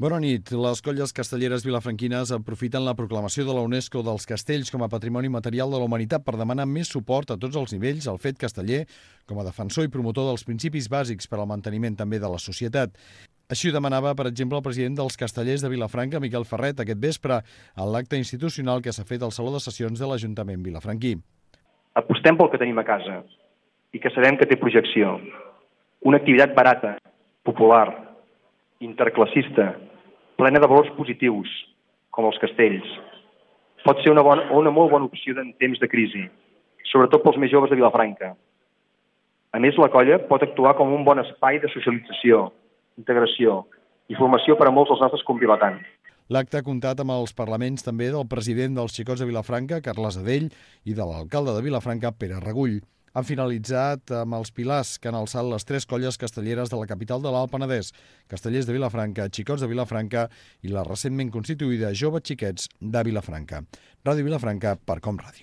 Bona nit. Les colles castelleres vilafranquines aprofiten la proclamació de la UNESCO dels castells com a patrimoni material de la humanitat per demanar més suport a tots els nivells al fet casteller com a defensor i promotor dels principis bàsics per al manteniment també de la societat. Així ho demanava, per exemple, el president dels castellers de Vilafranca, Miquel Ferret, aquest vespre, en l'acte institucional que s'ha fet al Saló de Sessions de l'Ajuntament vilafranquí. Apostem pel que tenim a casa i que sabem que té projecció. Una activitat barata, popular, interclassista, plena de valors positius, com els castells. Pot ser una molt bona opció en temps de crisi, sobretot pels més joves de Vilafranca. A més, la colla pot actuar com un bon espai de socialització, integració i formació per a molts dels nostres convilatans. L'acte ha comptat amb els parlaments també del president dels Xicots de Vilafranca, Carles Adell, i de l'alcalde de Vilafranca, Pere Regull. Han finalitzat amb els pilars que han alçat les 3 colles castelleres de la capital de l'Alt Penedès, Castellers de Vilafranca, Xicots de Vilafranca i la recentment constituïda Joves Xiquets de Vilafranca. Ràdio Vilafranca, per Com Ràdio.